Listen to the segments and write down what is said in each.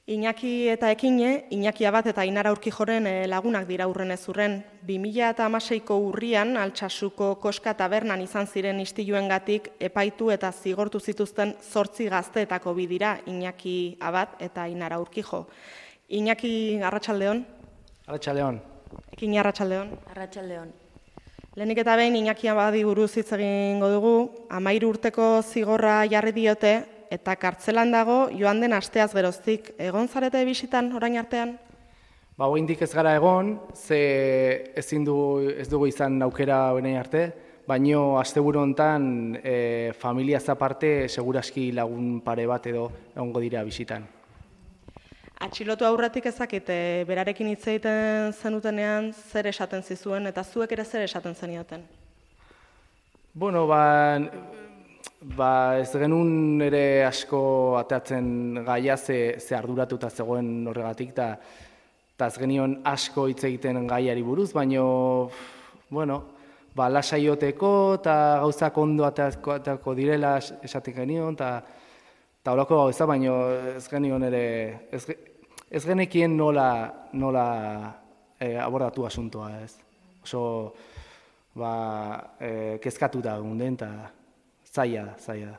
Iñaki eta Ekine, Iñaki Abad eta Ainara Urkijoren lagunak dira urrenez urren. 2016ko urrian Altsasuko Koska tabernan izan ziren istiluengatik epaitu eta zigortu zituzten 8 gazteetako bi dira, Iñaki Abad eta Ainara Urkijo. Iñaki, arratsaldeon. Arratsaldeon. Ekine, arratsaldeon. Arratsaldeon. Lehenik eta behin Iñaki Abadi buruz hitz egingo dugu, 13 urteko zigorra jarri diote, eta kartzelan dago joan den asteaz geroztik. Egon zarete bisitan orain artean? Oraindik ez gara egon, ze ez dugu izan aukera orain arte, baino asteburu hontan familiaz aparte seguraski lagun pare bat edo egongo dira bisitan. Atxilotu aurretik ezakit, berarekin hitz egiten zenutenean zer esaten zizuen eta zuek ere zer esaten zenioten? Bueno, ez genuen ere asko atatzen gaia ze arduratuta zegoen horregatik, eta ez genion asko hitz egiten gaiari buruz, baino, lasaioteko eta gauzak ondo atako direla esatik genion, eta horako gauza, baino ez genion ere, ez genekien nola abordatu asuntoa, ez. Oso, kezkatuta gunden, eta zaila da.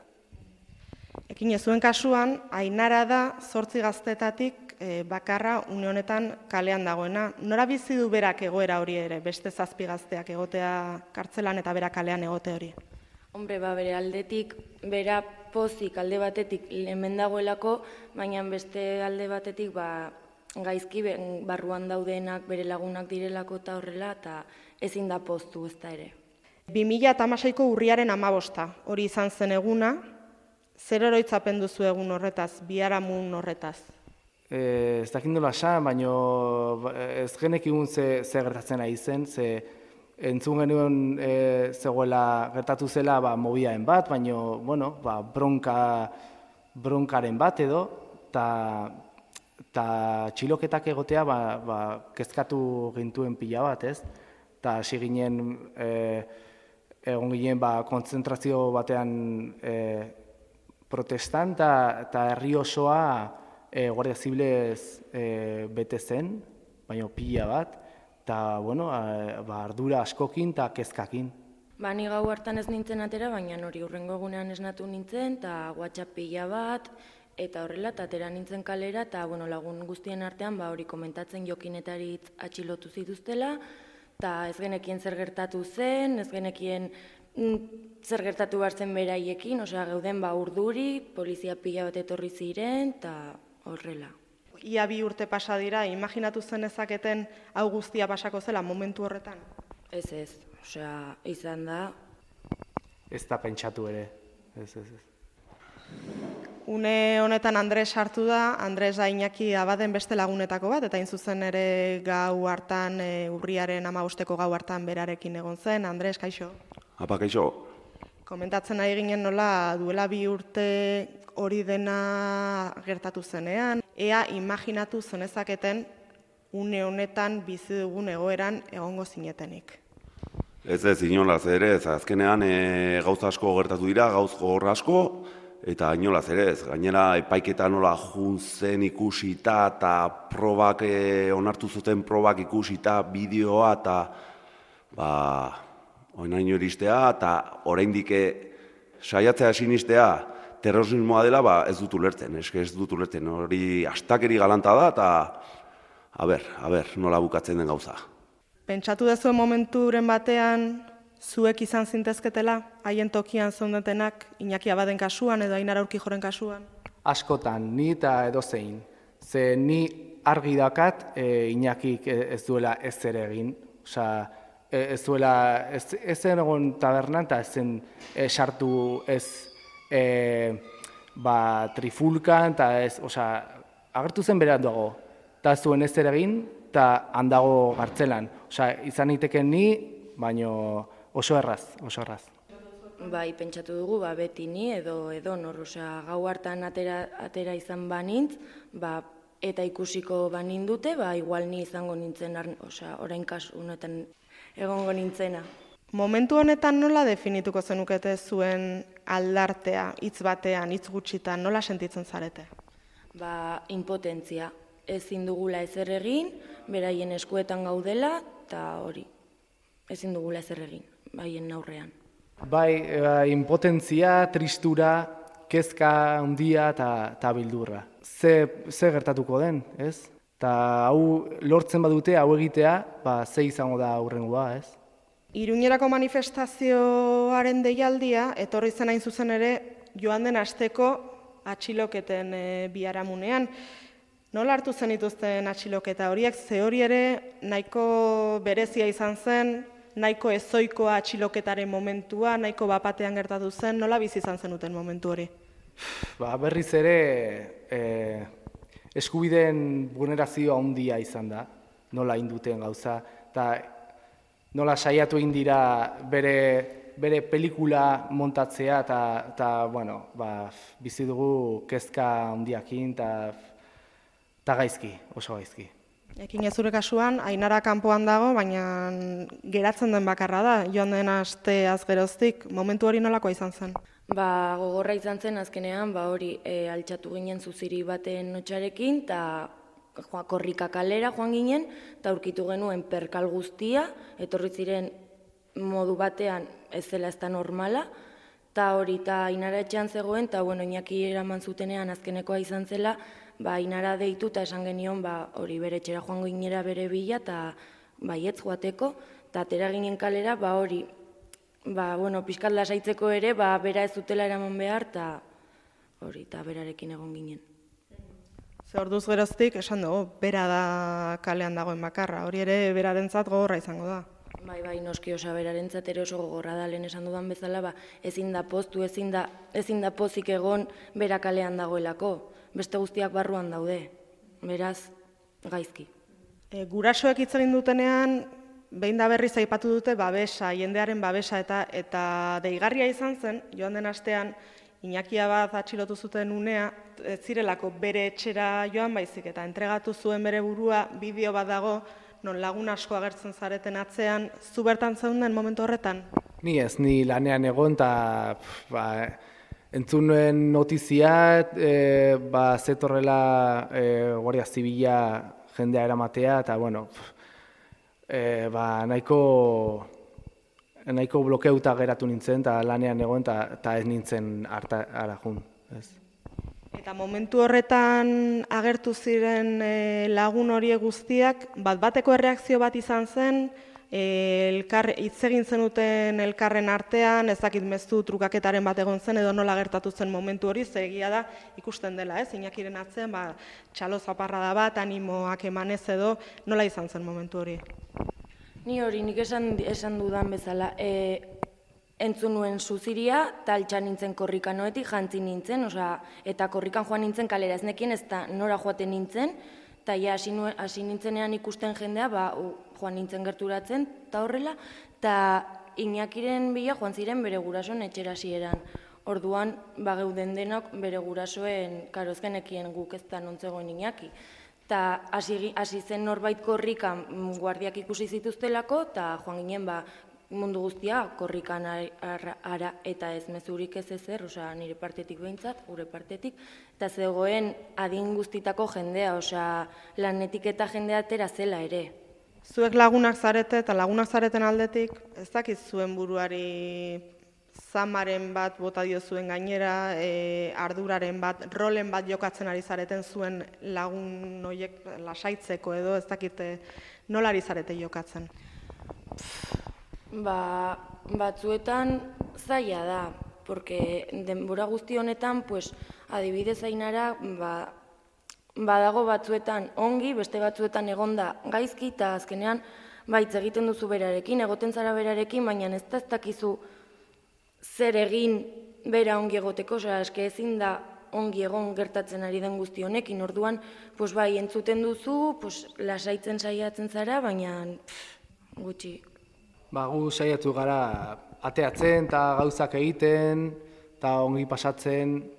Ekine, zuen kasuan, Ainara da 8 gaztetatik bakarra une honetan kalean dagoena. Nora bizi du berak egoera hori ere, beste 7 gazteak egotea kartzelan eta berak kalean egote hori? Hombre, bere aldetik, bera pozik alde batetik hemen dagoelako, baina beste alde batetik gaizki barruan daudenak bere lagunak direlako eta horrela, eta ezin da poztu ez da ere. 2016ko urriaren 15, hori izan zen eguna, zer oroitzapen duzu egun horretaz, biharamun horretaz? Ez dakit nola esan, baina ez genekigun ze gertatzen ari zen, ze entzun genuen zegoela gertatu zela mobiaen bat, baina bronkaren bat edo, eta txiloketak egotea kezkatu gintuen pila bat, ez? Eta hasi ginen egon ginen kontzentrazio batean protestan, eta herri osoa Guardia Zibilez bete zen, baina pila bat, eta ardura askokin eta kezkakin. Ni gau hartan ez nintzen atera, baina hori hurrengo egunean esnatu nintzen, eta WhatsApp pila bat, eta horrela, eta atera nintzen kalera, eta lagun guztien artean hori komentatzen Jokinetari atxilotu zituztela, eta ez genekien zer gertatu zen, ez genekien zer gertatu behar zen beraiekin, geuden urduri, polizia pila bat etorri ziren, eta horrela. Ia 2 urte pasa dira, imaginatu zen ezaketen hau guztia pasako zela momentu horretan? Ez, izan da. Ez da pentsatu ere, ez. Une honetan Andres sartu da, Andres da Iñaki Abaden beste lagunetako bat, eta zuzen ere gau hartan, urriaren 15ko gau hartan berarekin egon zen. Andres, kaixo? Apa, kaixo. Komentatzen nahi ginen nola duela 2 urte hori dena gertatu zenean, ea imaginatu zenezaketen une honetan bizi dugun egoeran egongo zinetenik. Ez inolaz ere, azkenean gauza asko gertatu dira, gauz gogor asko, eta inolaz ere ez, gainera epaiketa nola juntzen ikusita eta probak, onartu zuten probak ikusita, bideoa eta oinaino iristea eta oraindik saiatzea sinistea terrorismoa dela, ez dut ulertzen, hori astakeri galanta da eta nola bukatzen den gauza. Pentsatu dezuen momenturen batean, zuek izan zintezketela, haien tokian zondetenak, Iñaki Abaden kasuan edo Ainara Urkijoren kasuan? Askotan, ni eta edozein. Ze ni argi dakat Iñakik ez duela ez ere egin. Ez zen egon tabernan eta ez zen sartu ez trifulkan, eta agertu zen berat dago. Eta ez zuen ez ere egin, eta handago gartzelan. Izan iteken ni, baina oso erraz. Pentsatu dugu, beti ni edo nor, gau hartan atera izan banintz, eta ikusiko banindute, igual ni izango nintzen, orain kasu honetan egongo nintzena. Momentu honetan nola definituko zenukete zuen aldartea, hitz batean, hitz gutxitan, nola sentitzen zarete? impotentzia. Ezin dugula ezer egin, beraien eskuetan gaudela, eta hori, ezin dugula ezer egin, haien aurrean. Bai, impotentzia, tristura, kezka handia eta bildurra. Ze gertatuko den, ez? Eta hau lortzen badute, hau egitea, ze izango da aurrengoa, ez? Iruñerako manifestazioaren deialdia, etorri zen hain zuzen ere, joan den asteko atxiloketen biharamunean. Nola hartu zen dituzten atxiloketa horiek, ze hori ere nahiko berezia izan zen, nahiko ezoikoa atxiloketaren momentua, nahiko bapatean gertatu zen, nola bizi izan zenuten momentu hori? Berriz ere eskubideen vulnerazioa handia izan da, nola induten gauza, eta nola saiatu egin dira bere pelikula montatzea, eta bizi dugu kezka handiakin, eta gaizki, oso gaizki. Ekin zure kasuan, Ainara kanpoan dago, baina geratzen den bakarra da, joan den asteaz geroztik, momentu hori nolakoa izan zen? Gogorra izan zen azkenean, hori altxatu ginen zuziri baten notxarekin, eta korrika kalera joan ginen, eta aurkitu genuen perkal guztia, etorri ziren modu batean ez zela ez da normala, eta hori eta Ainara etxean zegoen, eta Iñaki eraman zutenean azkenekoa izan zela, Ainara deitu eta esan genion hori bere etxera joango ginera bere bila, eta baietz joateko, eta atera ginen kalera, hori, pixkat lasaitzeko ere, bera ez zutela eraman behar, eta berarekin egon ginen. Ze orduz geroztik, esan dugu, bera da kalean dagoen bakarra, hori ere berarentzat gogorra izango da. Bai, noski berarentzat ere oso gogorra da, lehen esan dudan bezala, ezin da poztu, ezin da pozik egon bera kalean dagoelako, beste guztiak barruan daude, beraz, gaizki. Gurasoek hitz egin dutenean, behin da berriz aipatu dute babesa, jendearen babesa eta deigarria izan zen, joan den astean, Iñakia bat atxilotu zuten unea, ez zirelako bere etxera joan baizik, eta entregatu zuen bere burua, bideo bat dago, non lagun asko agertzen zareten atzean, zu bertan zeunden momentu horretan? Ni ez, ni lanean egon, eta entzun nuen notizia, zetorrela Guardia Zibila jendea eramatea, eta nahiko blokeuta geratu nintzen, eta lanean egon, eta ez nintzen ara jun. Eta momentu horretan agertu ziren lagun horiek guztiak, bateko erreakzio bat izan zen, hitz egin zenuten elkarren artean, ez dakit mezu trukaketaren bat egon zen, edo nola gertatu zen momentu hori, ze egia da ikusten dela, Iñakiren atzean, txalo zaparrada bat, animoak emanez edo, nola izan zen momentu hori? Ni hori, nik esan dudan bezala, entzun nuen zuziria, eta altxan nintzen korrikan noetik, jantzi nintzen, eta korrikan joan nintzen kalera, ez nekien ez da nora joaten nintzen, eta hasi nintzenean ikusten jendea, joan nintzen gerturatzen, eta horrela, eta Iñakiren bila joan ziren bere gurasoen etxera hasieran. Orduan, geuden denok bere gurasoen karozkenekien guk ez da nontzegoen Iñaki. Eta hasi zen norbait korrikan guardiak ikusi zituztelako, eta joan ginen mundu guztia korrikan ara eta ez mezurik ez ezer, nire partetik behintzat, gure partetik, eta zegoen adin guztitako jendea, lanetik eta jendea atera zela ere. Zuek lagunak zarete eta lagunak zareten aldetik, ez dakit zuen buruari zamaren bat bota dio zuen gainera, arduraren bat, rolen bat jokatzen ari zareten zuen lagun horiek lasaitzeko edo, ez dakit nola ari zarete jokatzen? Batzuetan zaila da, porque denbora guzti honetan, adibidez Ainara, badago batzuetan ongi, beste batzuetan egonda gaizki, eta azkenean hitz egiten duzu berarekin, egoten zara berarekin, baina ez dakizu zer egin bera ongi egoteko, eske ezin da ongi egon gertatzen ari den guzti honekin, orduan, entzuten duzu, lasaitzen saiatzen zara, baina gutxi. Gu saiatu gara ateatzen eta gauzak egiten, eta ongi pasatzen,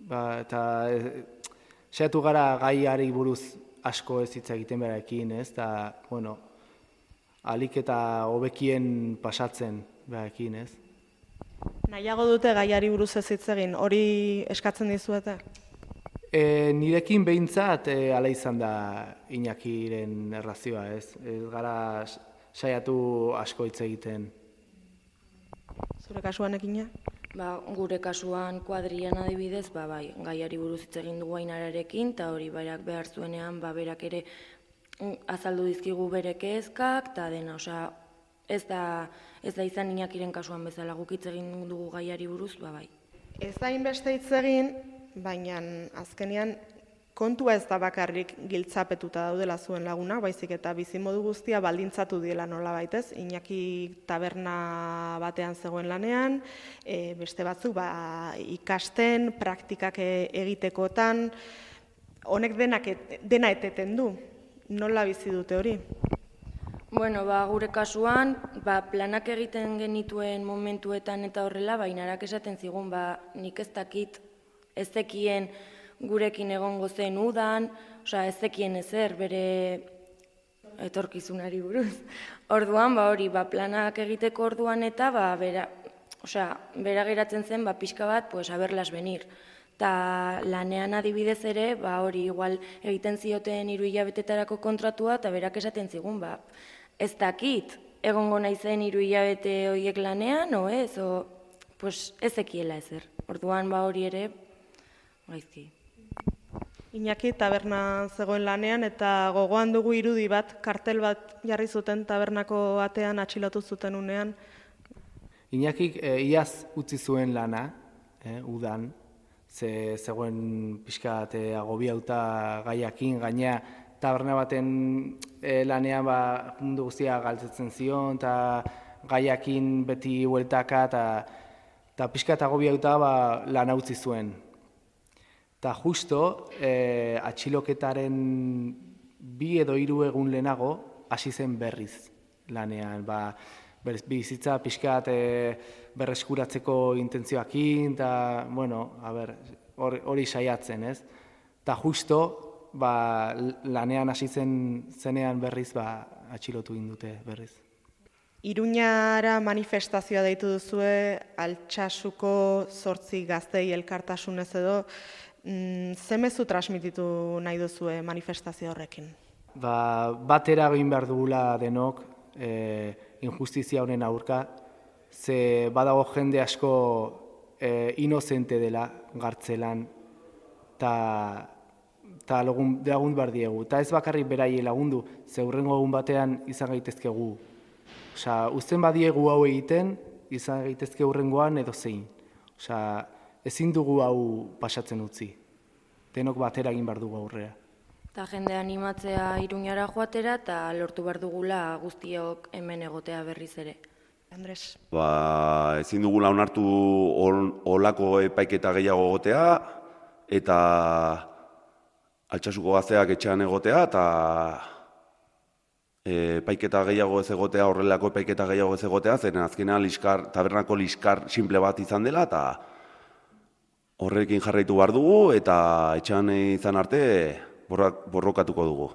eta saiatu gara gaiari buruz asko ez hitz egiten berarekin, eta, alik eta hobekien pasatzen berarekin, ez? Nahiago dute gaiari buruz ez hitz egin, hori eskatzen dizuete? Nirekin behintzat ala izan da Iñakiren erlazioa, ez? Ez gara saiatu asko hitz egiten. Zure kasuan ekina? Gure kasuan kuadrian adibidez, bai, gaiari buruz hitz egin dugu Ainararekin, eta hori berak behar zuenean, berak ere azaldu dizkigu bere kezkak, eta dena, ez da izan Iñakiren kasuan bezala guk hitz egin dugu gaiari buruz, bai. Ez da inbeste hitz egin, baina azkenean kontua ez da bakarrik giltzapetuta daudela zuen laguna, baizik eta bizimodu guztia baldintzatu diela nolabait, ez? Iñaki taberna batean zegoen lanean, beste batzuk ikasten, praktikak egitekotan, honek dena eteten du. Nola bizi dute hori? Bueno, gure kasuan, planak egiten genituen momentuetan eta horrela, Ainarak esaten zigun, nik ez dakit, ez zekien gurekin egongo zen udan, ez zekien ezer bere etorkizunari buruz. Orduan, planak egiteko orduan eta, bera geratzen zen, pixka bat, haberlas venir. Eta lanean adibidez ere, igual egiten zioten 3 hilabetetarako kontratua, eta berak esaten zigun, ez dakit, egongo naizen 3 hilabete horiek lanean, ez zekiela ezer. Orduan, hori ere, gaizki. Iñaki taberna zegoen lanean eta gogoan dugu irudi bat, kartel bat jarri zuten tabernako batean atxilotu zuten unean. Iñakik iaz utzi zuen lana, udan, zegoen pixkat agobiauta gaiakin, gaina taberna baten lanean mundu guztia galtzetzen zion, eta gaiakin beti hueltaka, eta pixkat agobiauta lana utzi zuen. Eta justo, atxiloketaren 2 edo 3 egun lehenago, hasi zen berriz lanean. Bizitza pixkat berreskuratzeko intentzioakin, eta, hori saiatzen, ez? Eta justo, lanean hasi zenean berriz, atxilotu indute berriz. Iruñara manifestazioa deitu duzue, Altsasuko 8 gaztei elkartasunez edo, ze mezu transmititu nahi duzue manifestazio horrekin? Batera egin behar dugula denok injustizia honen aurka, ze badago jende asko inozente dela gartzelan, eta lagun behar diegu. Eta ez bakarrik berai lagundu, ze hurrengo egun batean izan gaitezkegu. Uzten badiegu hau egiten, izan gaitezke hurrengoan edo zein. Ezin dugu hau pasatzen utzi. Denok batera egin behar dugu aurrera. Eta jende animatzea Iruñara joatera eta lortu behar dugula guztiok hemen egotea berriz ere. Andres. Ezin dugula onartu olako epaiketa gehiago egotea, eta Altsasuko gazteak etxean egotea, eta epaiketa gehiago ez egotea, horrelako epaiketa gehiago ez egotea, zen azkenean tabernako liskar simple bat izan dela, eta horrekin jarraitu behar dugu, eta etxean izan arte borrokatuko dugu.